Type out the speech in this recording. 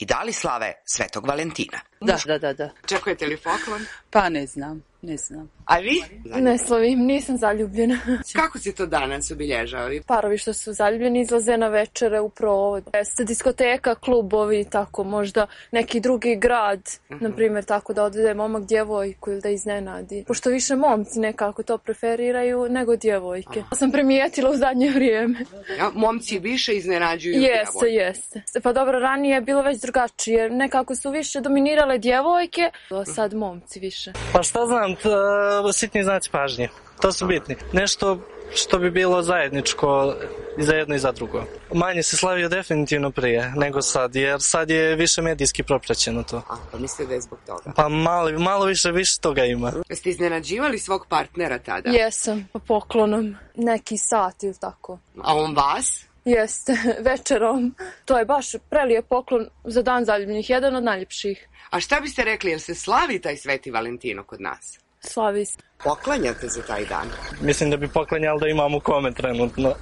i da li slave Svetog Valentina. Da. Čekujete li poklon? Pa ne znam. A vi? Ne slavim, nisam zaljubljena. Kako si to danas obilježavali? Parovi što su zaljubljeni izlaze na večere u provod. Jeste diskoteka, klubovi, tako možda neki drugi grad, na primjer tako da odvede momak djevojku ili da iznenadi. Pošto više momci nekako to preferiraju nego djevojke. Sam primijetila u zadnje vrijeme. Ja, momci više iznenađuju djevojke. Jeste. Pa dobro, ranije je bilo već drugačije. Nekako su više dominirale djevojke, a sad momci više. Pa šta znam, sitni znaci pažnje. To su bitni. Nešto što bi bilo zajedničko i za jedno i za drugo. Manje se slavio definitivno prije nego sad, jer sad je više medijski propraćeno to. Pa mislite da je zbog toga? Pa malo više toga ima. Jeste iznenađivali svog partnera tada? Jesam, pa poklonom. Neki sat ili tako. A on vas? Jeste, večerom. To je baš prelijep poklon za dan zaljubljenih, jedan od najljepših. A šta biste rekli, jel se slavi taj Sveti Valentino kod nas? Slavi se. Poklanjate za taj dan? Mislim da bi poklanjali da imamo kome trenutno.